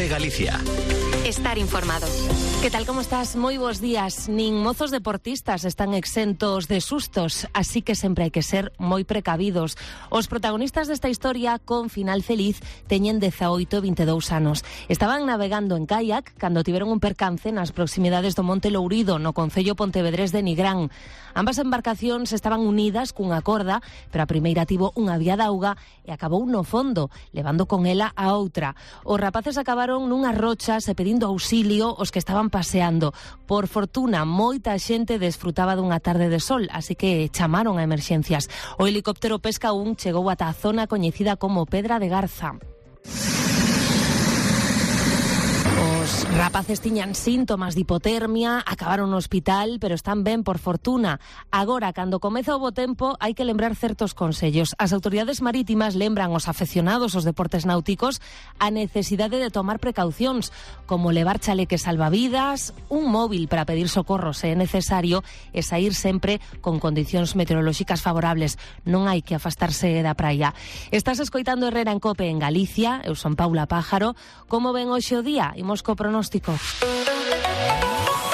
COPE Galicia. Estar informado. Que tal, como estás? Moi bons días. Nin mozos deportistas están exentos de sustos, así que sempre hai que ser moi precavidos. Os protagonistas desta historia con final feliz teñen 18 e 22 anos. Estaban navegando en kayak cando tiveron un percance nas proximidades do Monte Lourido, no concello pontevedrés de Nigrán. Ambas embarcacións estaban unidas cunha corda, pero a primeira tivo unha vía de auga e acabou no fondo, levando con ela a outra. Os rapaces acabaron nunhas rochas e pedindo auxilio os que estaban paseando. Por fortuna, moita xente desfrutaba dunha tarde de sol, así que chamaron a emerxencias. O helicóptero Pesca 1 chegou ata a zona coñecida como Pedra de Garza. Os rapaces tiñan síntomas de hipotermia, acabaron no hospital, pero están ben, por fortuna. Agora, cando comeza o bo tempo, hai que lembrar certos consellos. As autoridades marítimas lembran aos afeccionados aos deportes náuticos a necesidade de tomar precaucións, como levar chaleques salvavidas, un móvil para pedir socorro se é necesario e saír sempre con condicións meteorolóxicas favorables. Non hai que afastarse da praia. Estás escoitando Herrera en COPE en Galicia. Eu son Paula Pájaro. Como ven hoxe o día? Imos co pronóstico.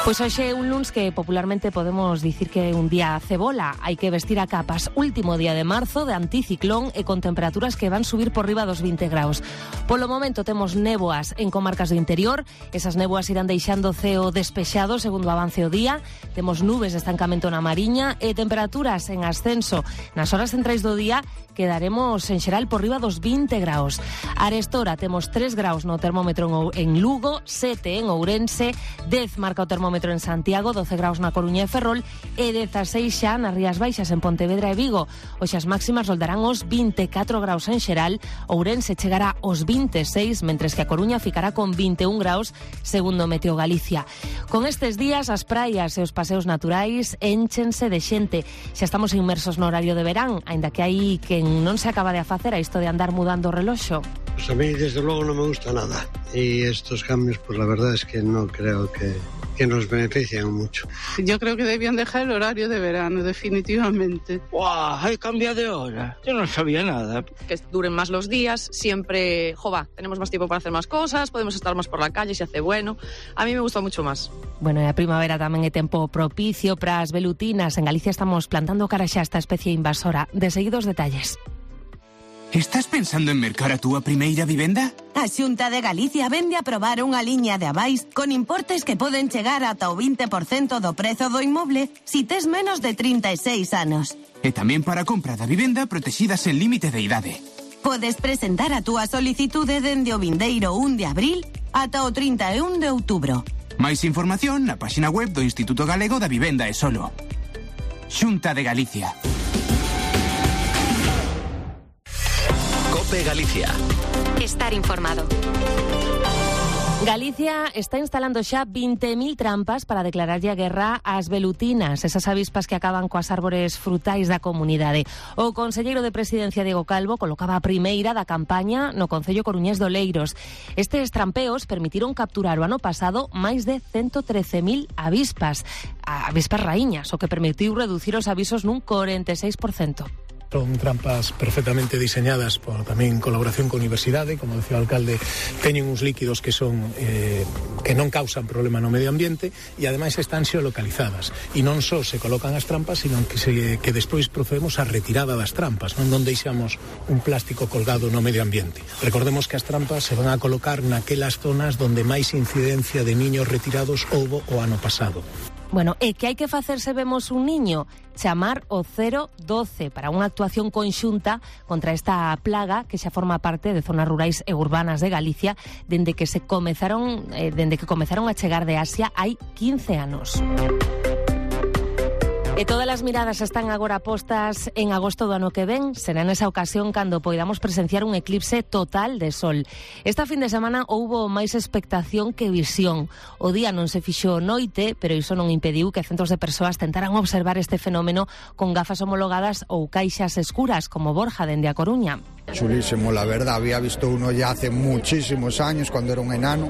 Pois hoxe é un luns que popularmente podemos dicir que é un día cebola. Hai que vestir a capas. Último día de marzo, de anticiclón e con temperaturas que van subir por riba dos 20 graus. Polo momento temos néboas en comarcas do interior. Esas néboas irán deixando o ceo despexado segundo avance o día. Temos nubes de estancamento na Mariña e temperaturas en ascenso. Nas horas centrais do día quedaremos en xeral por riba dos 20 graus. Arestora temos 3 graus no termómetro en Lugo, 7 en Ourense, 10 marca o termómetro en Santiago, 12 graus na Coruña e Ferrol e 16 xa nas Rías Baixas en Pontevedra e Vigo. Hoxe as máximas roldarán os 24 graus en xeral, Ourense chegará aos 26, mentres que a Coruña ficará con 21 graus, segundo Meteo Galicia. Con estes días as praias e os paseos naturais énchense de xente. Xa estamos inmersos no horario de verán, aínda que hai quen non se acaba de facer a isto de andar mudando o reloxo. Pues a mí desde luego no me gusta nada y estos cambios pues la verdad es que no creo que nos benefician mucho. Yo creo que debían dejar el horario de verano, definitivamente. ¡Guau! ¡Hay cambio de hora! Yo no sabía nada. Que duren más los días, siempre, tenemos más tiempo para hacer más cosas, podemos estar más por la calle si hace bueno. A mí me gusta mucho más. Bueno, e a primavera tamén é tempo propicio para as velutinas. En Galicia estamos plantando cara xa esta especie invasora. De seguidos detalles. Estás pensando en mercar a túa primeira vivenda? A Xunta de Galicia vende a aprobar unha liña de avais con importes que poden chegar ata o 20% do prezo do inmoble si tes menos de 36 anos. E tamén para a compra da vivenda protexidas en límite de idade. Podes presentar a túa solicitude dende o vindeiro 1 de abril ata o 31 de outubro. Mais información na páxina web do Instituto Galego da Vivenda e Solo. Xunta de Galicia. COPE Galicia. Estar informado. Galicia está instalando xa 20.000 trampas para declararlle a guerra ás velutinas, esas avispas que acaban coas árbores frutais da comunidade. O conselleiro de Presidencia, Diego Calvo, colocaba a primeira da campaña no concello coruñés de Oleiros. Estes trampeos permitiron capturar o ano pasado máis de 113.000 avispas raíñas, o que permitiu reducir os avisos nun 46%. Son trampas perfectamente diseñadas por tamén colaboración con a universidade, como decía o alcalde, teñen uns líquidos que son que non causan problema no medio ambiente e ademais están xeolocalizadas e non só se colocan as trampas, sino que despois procedemos a retirada das trampas, non deixamos un plástico colgado no medio ambiente. Recordemos que as trampas se van a colocar naquelas zonas donde máis incidencia de niños retirados houbo o ano pasado. Bueno, e que hai que facer se vemos un niño? Chamar o 012 para unha actuación conxunta contra esta plaga que xa forma parte de zonas rurais e urbanas de Galicia dende que comezaron a chegar de Asia hai 15 anos. E todas as miradas están agora postas en agosto do ano que ven. Será nesa ocasión cando poidamos presenciar un eclipse total de sol. Esta fin de semana houbo máis expectación que visión. O día non se fixo noite, pero iso non impediu que centos de persoas tentaran observar este fenómeno con gafas homologadas ou caixas escuras, como Borja dende a Coruña. Chulísimo, la verdad. Había visto uno ya hace muchísimos años, cuando era un enano,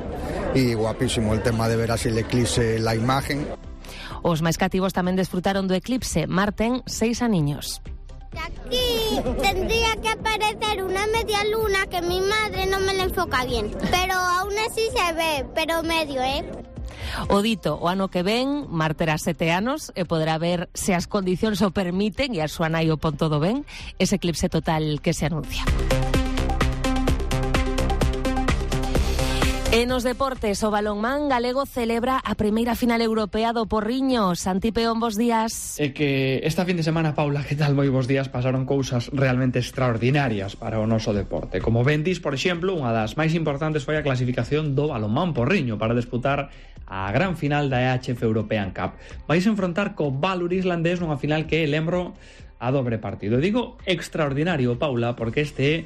y guapísimo el tema de ver así el eclipse, la imagen. Os máis cativos tamén desfrutaron do eclipse. Mar ten 6 aniños. Aquí tendría que aparecer una media luna que mi madre no me la enfoca bien, pero aún así se ve, pero medio, O dito, o ano que ven, Mar terá 7 anos e poderá ver, se as condicións o permiten e a súa nai o pon todo ben, ese eclipse total que se anuncia. E nos deportes, o balonmán galego celebra a primeira final europea do Porriño. Santi Peón, bos días. É que esta fin de semana, Paula, que tal, moi bos días, pasaron cousas realmente extraordinarias para o noso deporte. Como ben dis, por exemplo, unha das máis importantes foi a clasificación do balonmán Porriño para disputar a gran final da EHF European Cup. Vais enfrontar co Valur islandés nunha final que, lembro, a dobre partido. Digo extraordinario, Paula, porque este é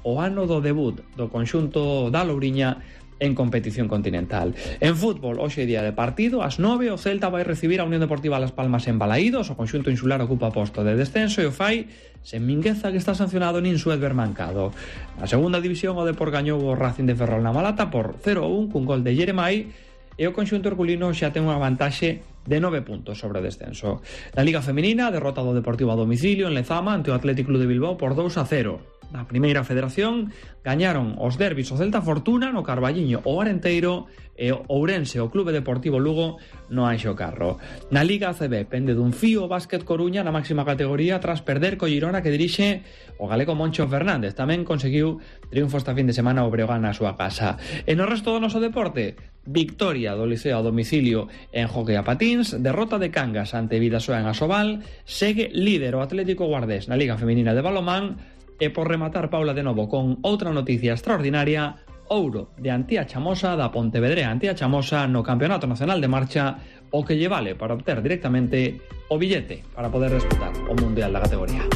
o ano do debut do conxunto da Louriña en competición continental. En fútbol, hoxe día de partido, ás 9, o Celta vai recibir a Unión Deportiva Las Palmas en Balaídos, o conxunto insular ocupa posto de descenso e o fai sen Mingueza, que está sancionado nin Suedber mancado. Na segunda división, o Depor gañou o Racing de Ferrol na Malata por 0-1 cun gol de Jeremai e o conxunto herculino xa ten unha vantaxe de 9 puntos sobre o descenso. Na Liga Feminina, derrota do Deportivo a domicilio en Lezama ante o Athletic Club de Bilbao por 2-0. Na primeira federación gañaron os derbis o Celta Fortuna no Carballiño o Arenteiro e o Ourense o Clube Deportivo Lugo no Anxo Carro. Na Liga ACB pende dun fío o Básquet Coruña na máxima categoría tras perder co Girona que dirixe o galego Moncho Fernández. Tamén conseguiu triunfo esta fin de semana o Breogán na súa casa. E no resto do noso deporte, victoria do Liceo a domicilio en hockey a patins, derrota de Cangas ante Vidasoa en Asobal, segue líder o Atlético Guardés na Liga Femenina de balonmán. E por rematar, Paula, de novo con outra noticia extraordinaria, ouro de Antía Chamosa da Pontevedrea Antía Chamosa no Campeonato Nacional de Marcha, o que lle vale para obter directamente o billete para poder disputar o Mundial da categoría.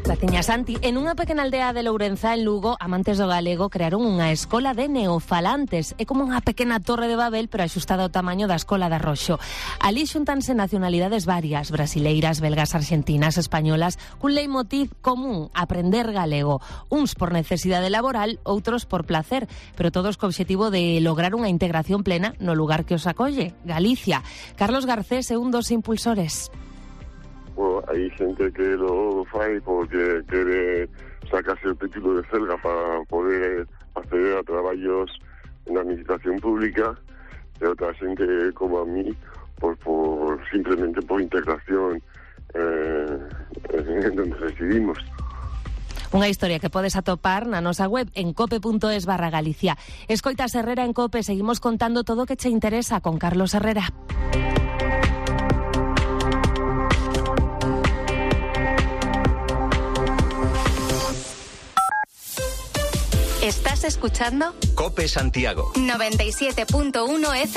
Graciña, Santi. En unha pequena aldea de Lourenza, en Lugo, amantes do galego crearon unha escola de neofalantes. É como unha pequena torre de Babel, pero axustada ao tamaño da escola de Arroxo. Alí xuntanse nacionalidades varias, brasileiras, belgas, argentinas, españolas, cun leitmotiv común, aprender galego. Uns por necesidade laboral, outros por placer, pero todos co obxectivo de lograr unha integración plena no lugar que os acolle, Galicia. Carlos Garcés é un dos impulsores. Hai xente que lo fai porque quere sacarse o título de celga para poder acceder a traballos na administración pública, e outra xente como a mí simplemente por integración en donde residimos. Unha historia que podes atopar na nosa web en cope.es/Galicia. Escoitas Herrera en Cope, seguimos contando todo o que che interesa con Carlos Herrera. ¿Estás escuchando? Cope Santiago 97.1 FM.